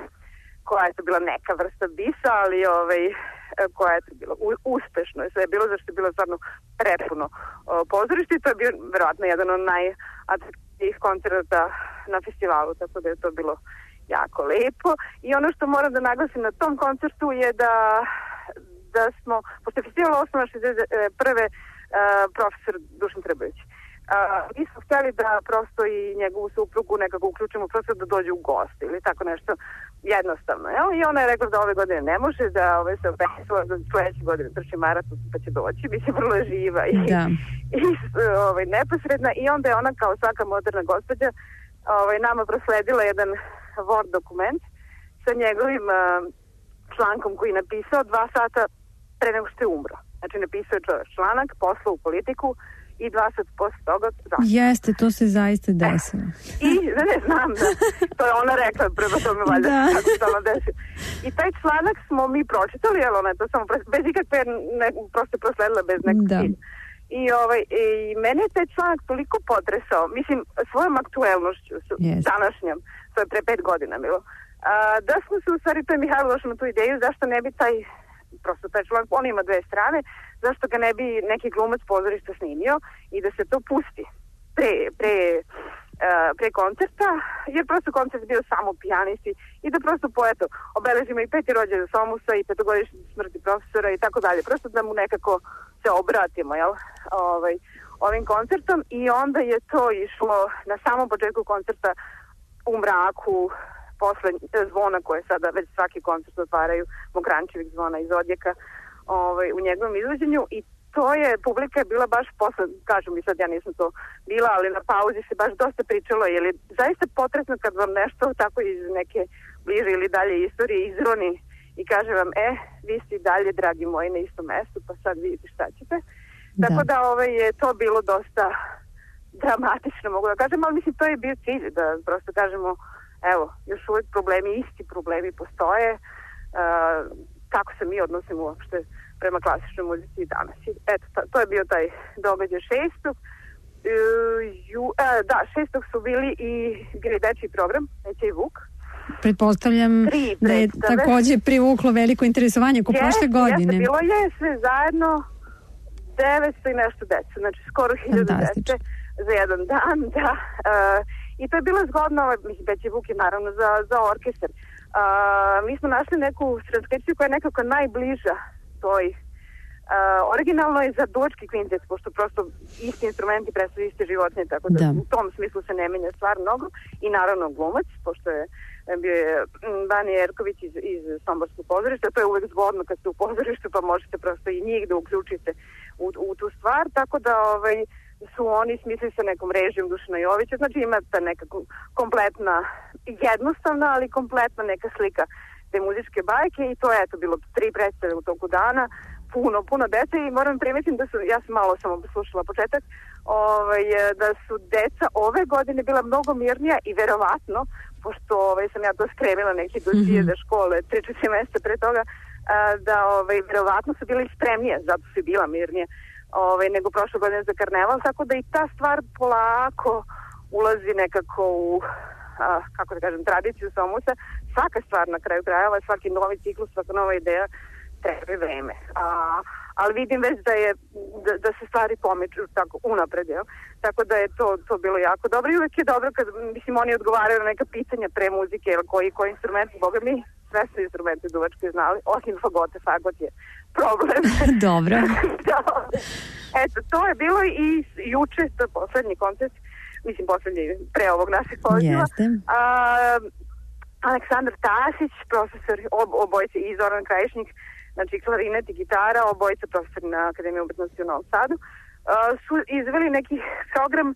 koja je to bila neka vrsta bisa, ali ovaj, koja je to bilo u, uspešno. Sve je bilo zašto je bilo stvarno prepuno uh, pozorište i to je bio verovatno jedan od najatraktivnijih koncerta na festivalu, tako da je to bilo jako lepo. I ono što moram da naglasim na tom koncertu je da da smo, pošto je festival osnovan šezdeset prve Uh, profesor Dušan Trbović. Uh, mi smo htjeli da prosto i njegovu suprugu nekako uključimo prosto da dođe u goste ili tako nešto jednostavno. Jel? I ona je rekla da ove godine ne može, da ove se opisala za sledeće godine trči maraton pa će doći, bi se vrlo živa i, da. i ovaj, neposredna i onda je ona kao svaka moderna gospođa ovaj, nama prosledila jedan Word dokument sa njegovim uh, člankom koji je napisao dva sata pre nego što je umro. Znači, napisao je čovjek članak, poslao u politiku i dva sat posle toga zašto. Jeste, to se zaista desilo. I, ne, ne znam, da, to je ona rekla, prema tome valjda, kako se ono desilo. I taj članak smo mi pročitali, jer ona je to samo, bez ikakve, ne, prosto prosledila bez nekog cilja. I, ovaj, I mene je taj članak toliko potresao, mislim, svojom aktuelnošću, yes. današnjom, to je pre pet godina bilo, a, da smo se u stvari, to je Mihajlo došao na tu ideju, zašto ne bi taj prosto taj članak, on ima dve strane, zašto ga ne bi neki glumac pozorišta snimio i da se to pusti pre, pre, uh, pre koncerta, jer prosto koncert bio samo pijanisti i da prosto poeto obeležimo i peti rođendan Somusa i petogodišnju smrti profesora i tako dalje, prosto da mu nekako se obratimo, jel, ovaj, ovim koncertom i onda je to išlo na samom početku koncerta u mraku, posle zvona koje sada već svaki koncert otvaraju, Mokrančevih zvona iz Odjeka ovaj, u njegovom izvođenju i to je, publika je bila baš posle, kažu mi sad, ja nisam to bila, ali na pauzi se baš dosta pričalo, jer je zaista potresno kad vam nešto tako iz neke bliže ili dalje istorije izroni i kaže vam, e, vi ste dalje, dragi moji, na istom mestu, pa sad vidite šta ćete. Da. Tako da ovaj, je to bilo dosta dramatično, mogu da kažem, ali mislim, to je bio cilj, da prosto kažemo, evo, još uvijek problemi, isti problemi postoje, uh, kako se mi odnosimo uopšte prema klasičnoj muzici i danas. Eto, to, to je bio taj događaj šestog. Uh, ju, uh, da, šestog su bili i bili dečji program, Neće i Vuk. Pretpostavljam da je također privuklo veliko interesovanje ko prošle godine. Jeste, bilo je sve zajedno devetsto i nešto deca, znači skoro hiljadu dece za jedan dan, da. Uh, I to je bilo zgodno, mislim, Neće i Vuk je naravno za, za orkestar. Uh, mi smo našli neku transkripciju koja je nekako najbliža toj uh, originalno je za duvački kvintet, pošto prosto isti instrumenti predstavljaju iste životinje, tako da, da u tom smislu se ne menja stvar mnogo i naravno glumac, pošto je bio je Bani Jerković iz, iz Somborskog pozorišta, to je uvek zgodno kad ste u pozorištu pa možete prosto i njih da uključite u, u tu stvar, tako da ovaj, su oni smislili sa nekom režijom Dušana Jovića, znači ima ta neka kompletna, jednostavna, ali kompletna neka slika te muzičke bajke i to je eto bilo tri predstave u toku dana, puno, puno dece i moram primetim da su, ja sam malo samo poslušala početak, ovaj, da su deca ove godine bila mnogo mirnija i verovatno, pošto ovaj, sam ja to spremila neki dosije mm-hmm. za škole tri četiri mjeseca pre toga, da ovaj, verovatno su bili spremnije, zato su bila mirnije ovaj, nego prošle godine za karneval, tako da i ta stvar polako ulazi nekako u, a, kako da kažem, tradiciju Somusa. Svaka stvar na kraju krajeva, svaki novi ciklus, svaka nova ideja treba vreme. A, ali vidim već da je da, da se stvari pomiču tako unapred, jel? Tako da je to, to bilo jako dobro i uvek je dobro kad, mislim, oni odgovaraju na neka pitanja pre muzike, jel, koji, koji instrument, boga mi, sve su instrumente duvačke znali, osim fagote, fagot je problem. Dobro. Eto, to je bilo i juče, to je poslednji koncert, mislim poslednji pre ovog našeg poziva. Jeste. A, Aleksandar Tasić, profesor, ob, obojice i Zoran Krajišnik, znači klarinet i gitara, obojica profesor na Akademiji umetnosti u Novom Sadu, uh, su izveli neki program uh,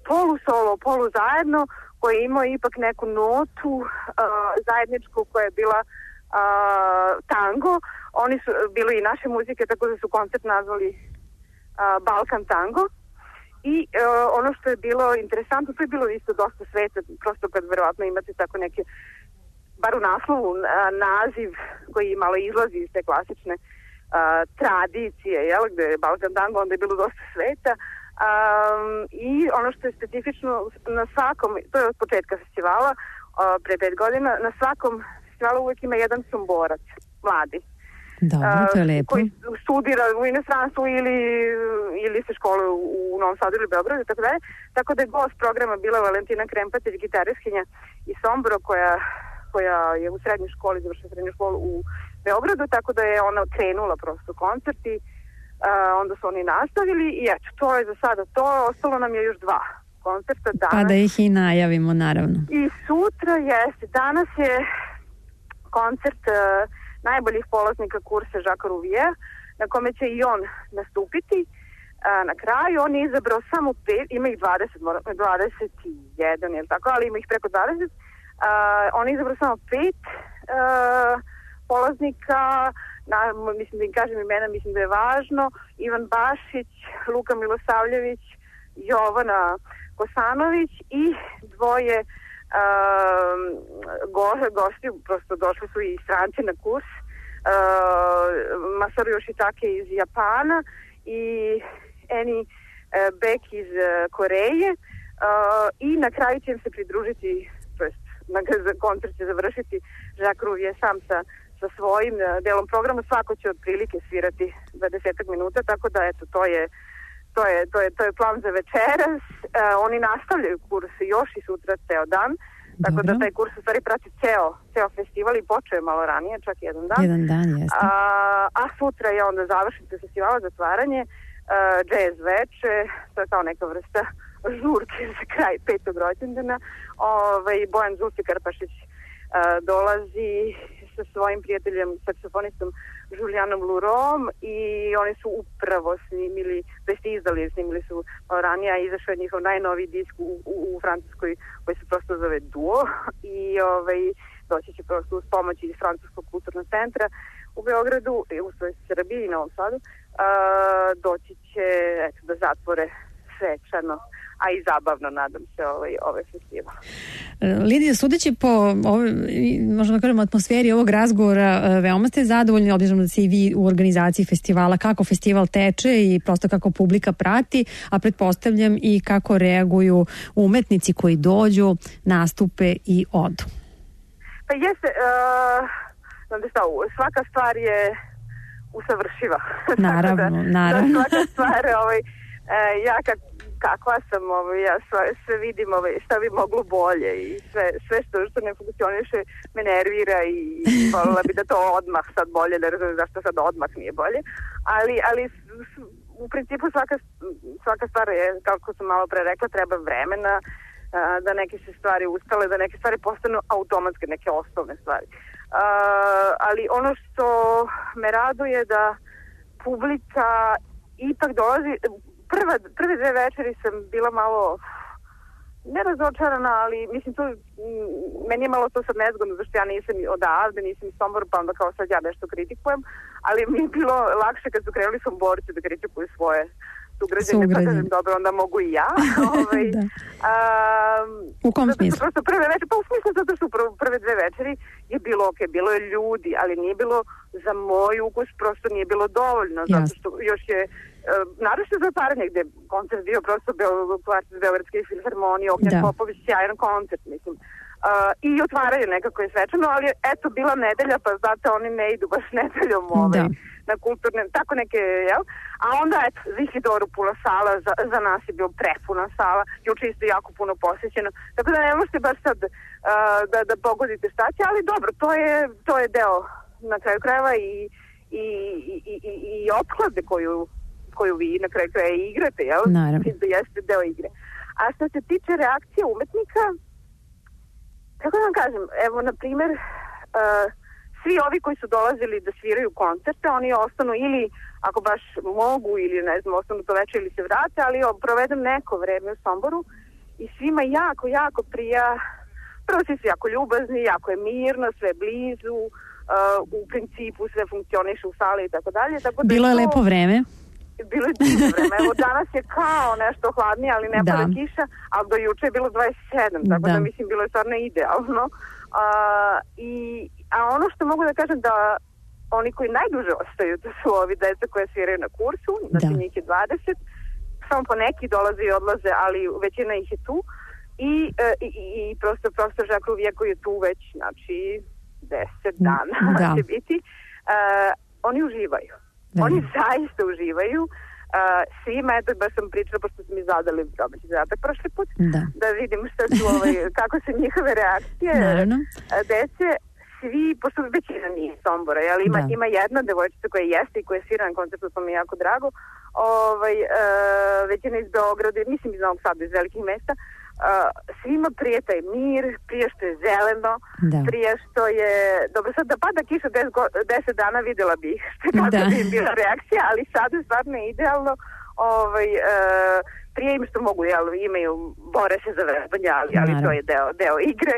polu solo, polu zajedno, koji je imao ipak neku notu uh, zajedničku koja je bila uh, tango. Oni su bili i naše muzike, tako da su koncert nazvali uh, Balkan tango. I uh, ono što je bilo interesantno, to je bilo isto dosta sveta, prosto kad verovatno imate tako neke, bar u naslovu, uh, naziv koji malo izlazi iz te klasične uh, tradicije, jel, gde je Balkan tango, onda je bilo dosta sveta. Um, I ono što je specifično na svakom, to je od početka festivala, uh, pre pet godina, na svakom festivalu uvek ima jedan somborac, mladi. Dobro, to je lepo. Koji studira u inostranstvu ili, ili se školuje u Novom Sadu ili Beogradu, tako dalje. Tako da je gost programa bila Valentina Krempatić, gitariskinja iz Sombora, koja, koja je u srednjoj školi, završila srednju školu u Beogradu, tako da je ona krenula prosto koncert i uh, onda su oni nastavili i eto, to je za sada to. Ostalo nam je još dva koncerta danas. Pa da ih i najavimo, naravno. I sutra jeste. Danas je koncert uh, najboljih polaznika kursa Žaka Ruvije, na kome će i on nastupiti. A, na kraju on je izabrao samo pet, ima ih dvadeset, dvadeset jedan, je li tako, ali ima ih preko dvadeset. A, on je izabrao samo pet a, polaznika, na, mislim da im kažem imena, mislim da je važno, Ivan Bašić, Luka Milosavljević, Jovana Kosanović i dvoje Uh, go, gosti, prosto došli su i stranci na kurs, uh, Masaru Yoshitake iz Japana i Eni uh, Beck iz uh, Koreje uh, i na kraju će im se pridružiti, to jest na koncert će završiti Jacques Rouvier sam sa, sa svojim uh, delom programa. Svako će otprilike svirati dvadeset minuta, tako da eto, to je To je, to je, to je plan za večeras. E, oni nastavljaju kurs još i sutra ceo dan. Tako Dobro. Da taj kurs u stvari prati ceo, ceo festival i počeo je malo ranije, čak jedan dan. Jedan dan, jeste. A, a sutra je onda završnica festivala, zatvaranje, uh, jazz veče, to je kao neka vrsta žurke za kraj petog rođendana. Ovaj, Bojan Zulfi Karpašić uh, dolazi sa svojim prijateljem, saksofonistom Julianom Lurom i oni su upravo snimili, to jest izdali, snimili su ranije, a izašao je njihov najnoviji disk u, u, u Francuskoj koji se prosto zove Duo i ovaj, doći će prosto uz pomoć iz Francuskog kulturnog centra u Beogradu, u svojoj Srbiji i Novom Sadu, a, doći će eto, da zatvore svečano, a i zabavno, nadam se, ovaj, ovaj festival. Lidija, sudeći po ovoj, možemo da kažemo, atmosferi ovog razgovora, veoma ste zadovoljni, obzirom da se i vi u organizaciji festivala, kako festival teče i prosto kako publika prati, a pretpostavljam i kako reaguju umetnici koji dođu, nastupe i odu. Pa jeste, uh, znam da šta, svaka stvar je usavršiva. Naravno, da, naravno. Da svaka stvar, ovaj, uh, ja kad kakva sam, ovaj, ja sve, sve vidim ovaj, šta bi moglo bolje i sve, sve što, što ne funkcioniše me nervira i voljela bi da to odmah sad bolje, ne razumijem zašto sad odmah nije bolje, ali, ali u principu svaka, svaka stvar je, kako sam malo pre rekla, treba vremena da neke se stvari ustale, da neke stvari postanu automatske, neke osnovne stvari. Ali ono što me raduje da publika ipak dolazi. Prva, prve dve večeri sam bila malo nerazočarana, ali mislim to, meni je malo to sad nezgodno, zašto ja nisam odavde, nisam iz Sombora, pa onda kao sad ja nešto kritikujem, ali mi je bilo lakše kad su krenuli Somborci da kritikuju svoje sugrađane, pa kažem, dobro, onda mogu i ja. Ovaj, da. um, u kom smislu? Prosto prve večeri, pa u smislu zato što prve dve večeri je bilo ok, bilo je ljudi, ali nije bilo za moj ukus, prosto nije bilo dovoljno, zato što još je Uh, naravno za otvaranje gde koncert bio prosto Beo, kvartet Beogradske filharmonije, Ognjan da. Popović, sjajan koncert, mislim. Uh, i otvaraju nekako je svečano, ali eto bila nedelja, pa znate oni ne idu baš nedeljom ovaj, na kulturne, tako neke, jel? A onda eto, Zihidoro puna sala, za, za nas je bio prepuna sala, juče isto jako puno posjećeno, tako da ne možete baš sad uh, da, da pogodite šta će, ali dobro, to je, to je deo na kraju krajeva i, i, i, i, i opklade koju, koju vi na kraju krajeva igrate, jel? Naravno. Da jeste deo igre. A što se tiče reakcije umetnika, kako da vam kažem, evo, na primjer, uh, svi ovi koji su dolazili da sviraju koncerte, oni ostanu ili, ako baš mogu, ili ne znam, ostanu to večer ili se vrate, ali o, provedem neko vreme u Somboru i svima jako, jako prija, prvo svi su jako ljubazni, jako je mirno, sve blizu, uh, u principu sve funkcioniše u sali i tako dalje. Bilo je to lepo vreme. Bilo je divno vreme. Evo danas je kao nešto hladnije, ali ne pada kiša, ali do juče je bilo dvadeset sedam, tako da, da mislim bilo je stvarno idealno. A, i, a ono što mogu da kažem da oni koji najduže ostaju, to su ovi deca koje sviraju na kursu, znači njih je dvadeset, samo po neki dolaze i odlaze, ali većina ih je tu. I, i, i prosto profesor Žakov Vijeko je tu već, znači, deset dana da. će biti. A, oni uživaju. Da. Oni zaista uživaju. Uh, svima, eto, baš sam pričala, pošto su mi zadali domaći zadatak prošli put, da, da vidim šta su, ovaj, kako su njihove reakcije. Naravno. Dece, svi, pošto većina nije Sombora, ali ima, ima jedna devojčica koja jeste i koja svira na koncertu, to mi je jako drago. Ovaj, uh, većina iz Beograda, mislim iz Novog Sada, iz velikih mesta. Uh, svima prije taj mir, prije što je zeleno, da. prije što je, dobro sad da pada kiša deset dana vidjela bih kako da. bi bila reakcija, ali sad je stvarno idealno, ovaj, uh, prije im što mogu, jel, imaju, bore se za vežbanje, ali, ali to je deo, deo igre.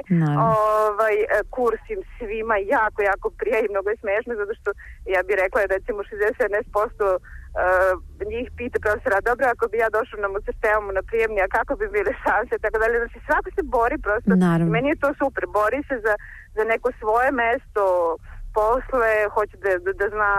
Ovaj, kurs im svima jako, jako prije i mnogo je smešno, zato što ja bih rekla da recimo šezdeset sedam posto Uh, njih pita profesora, dobro, ako bi ja došao na Mozarteum na prijemni, a kako bi bile šanse, tako dalje, znači svako se bori prosto, meni je to super, bori se za, za neko svoje mesto posle, hoće da, da, da zna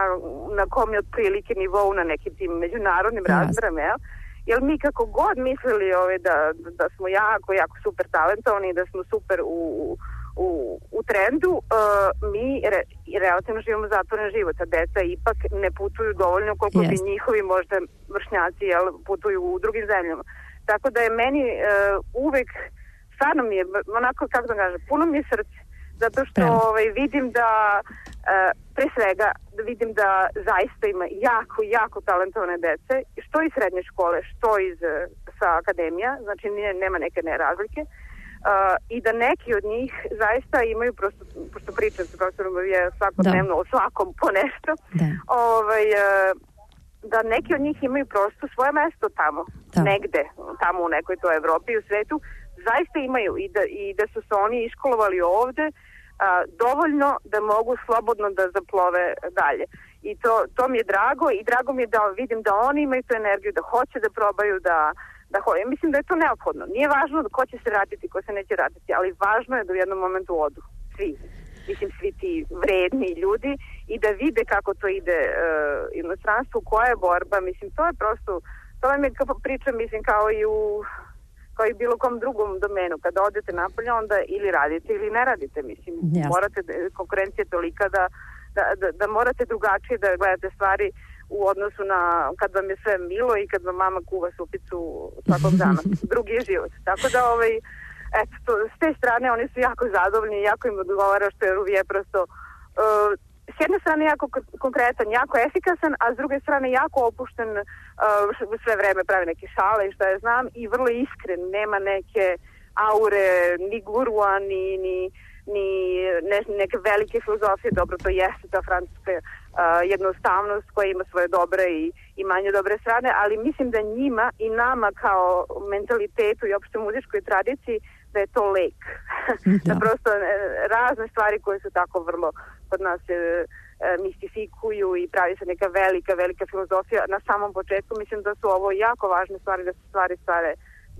na kom je otprilike nivou na nekim tim međunarodnim razmerama, jel? Jer mi kako god mislili ove, da, da smo jako, jako super talentovani, da smo super u, u, u trendu, uh, mi re, relativno živimo zatvoren život, a deca ipak ne putuju dovoljno koliko yes. bi njihovi možda vršnjaci jel, putuju u drugim zemljama. Tako da je meni uh, uvek, stvarno mi je, onako kako da kažem, puno mi je srce, zato što ovaj, vidim da uh, pre svega da vidim da zaista ima jako, jako talentovane dece, što iz srednje škole, što iz sa akademija, znači nije, nema neke nerazlike. Uh, i da neki od njih zaista imaju prosto, pošto pričam sa profesorom je svakodnevno o svakom po nešto, da. Ovaj, uh, da neki od njih imaju prosto svoje mesto tamo, da. negde, tamo u nekoj toj Evropi i u svetu, zaista imaju i da, i da su se oni iškolovali ovde uh, dovoljno da mogu slobodno da zaplove dalje. I to, to mi je drago i drago mi je da vidim da oni imaju tu energiju, da hoće da probaju, da Da, ja mislim da je to neophodno. Nije važno ko će se vratiti, ko se neće vratiti, ali važno je da u jednom momentu odu. Svi. Mislim, svi ti vredni ljudi i da vide kako to ide uh, inostranstvu, koja je borba. Mislim, to je prosto, to vam je kao priča, mislim, kao i u kao i bilo kom drugom domenu. Kada odete napolje, onda ili radite ili ne radite. Mislim, yes. morate, konkurencija je tolika da, da, da, da morate drugačije da gledate stvari u odnosu na kad vam je sve milo i kad vam mama kuva supicu svakog dana. Drugi je život. Tako da, ovaj, eto, to, s te strane oni su jako zadovoljni, jako im odgovara što je Ruvije prosto uh, s jedne strane jako konkretan, jako efikasan, a s druge strane jako opušten, uh, sve vreme pravi neke šale i šta ja znam i vrlo iskren, nema neke aure, ni gurua, ni, ni ni ne, neke velike filozofije, dobro, to jeste ta francuska uh, jednostavnost koja ima svoje dobre i, i manje dobre strane, ali mislim da njima i nama kao mentalitetu i opšte muzičkoj tradiciji da je to lek. Da. Da prosto razne stvari koje su tako vrlo kod nas e, e, mistifikuju i pravi se neka velika, velika filozofija na samom početku. Mislim da su ovo jako važne stvari, da se stvari stvari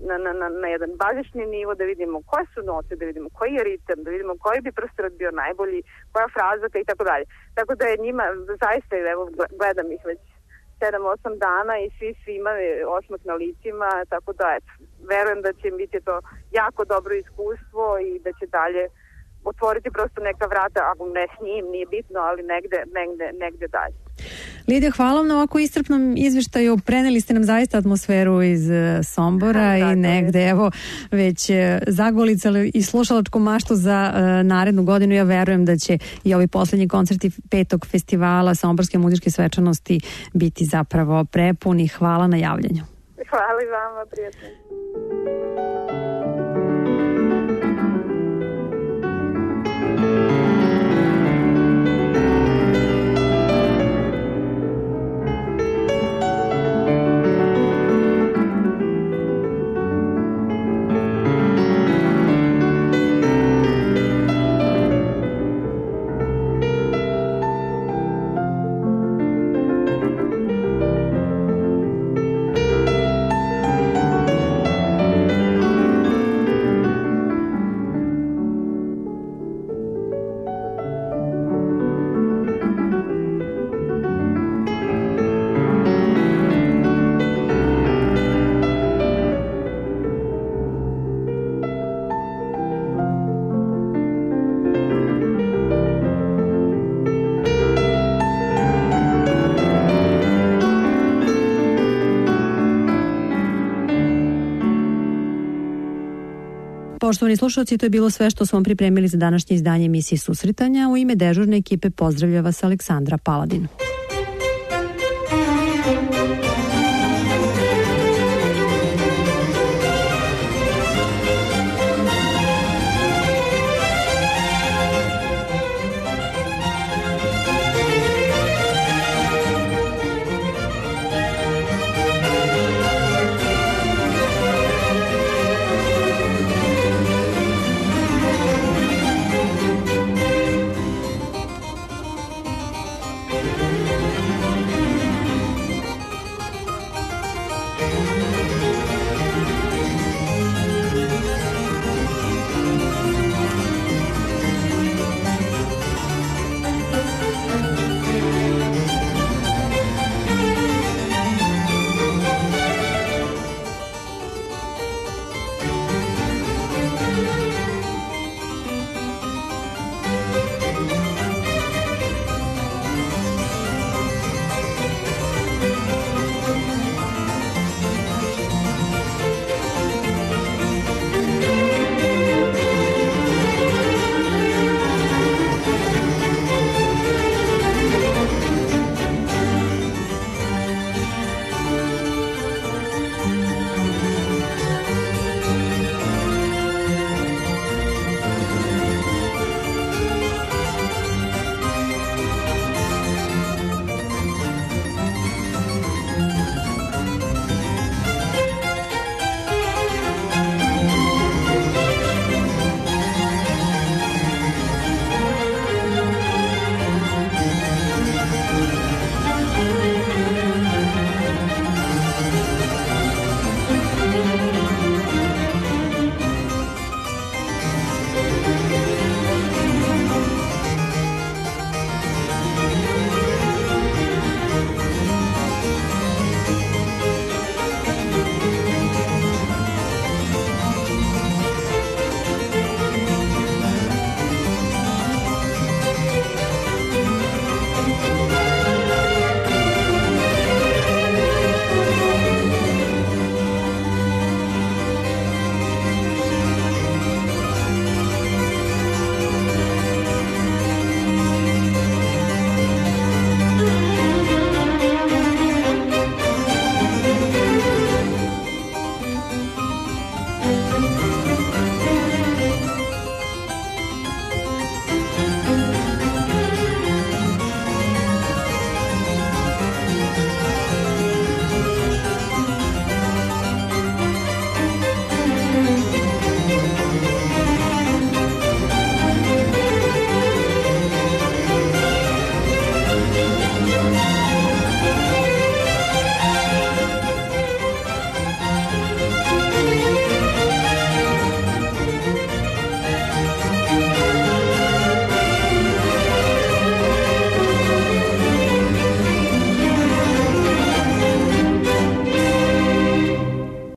Na, na, na jedan bazični nivo, da vidimo koje su note, da vidimo koji je ritam, da vidimo koji bi prostor bio najbolji, koja frazaka i tako dalje. Tako da je njima zaista, evo gledam ih već sedam osam dana i svi su imali osmeh na licima, tako da eto, verujem da će biti to jako dobro iskustvo i da će dalje otvoriti prosto neka vrata, ako ne s njim, nije bitno, ali negde, negde, negde dalje. Lidija, hvala vam na ovako iscrpnom izveštaju. Preneli ste nam zaista atmosferu iz Sombora da, i negde, je. evo, već zagolicali i slušalačku maštu za uh, narednu godinu. Ja verujem da će i ovi poslednji koncerti petog festivala Somborske muzičke svečanosti biti zapravo prepuni. Hvala na javljanju. Hvala i vama, prijatno. Poštovani slušalci, to je bilo sve što smo vam pripremili za današnje izdanje emisije Susretanja. U ime dežurne ekipe pozdravlja vas Aleksandra Paladin.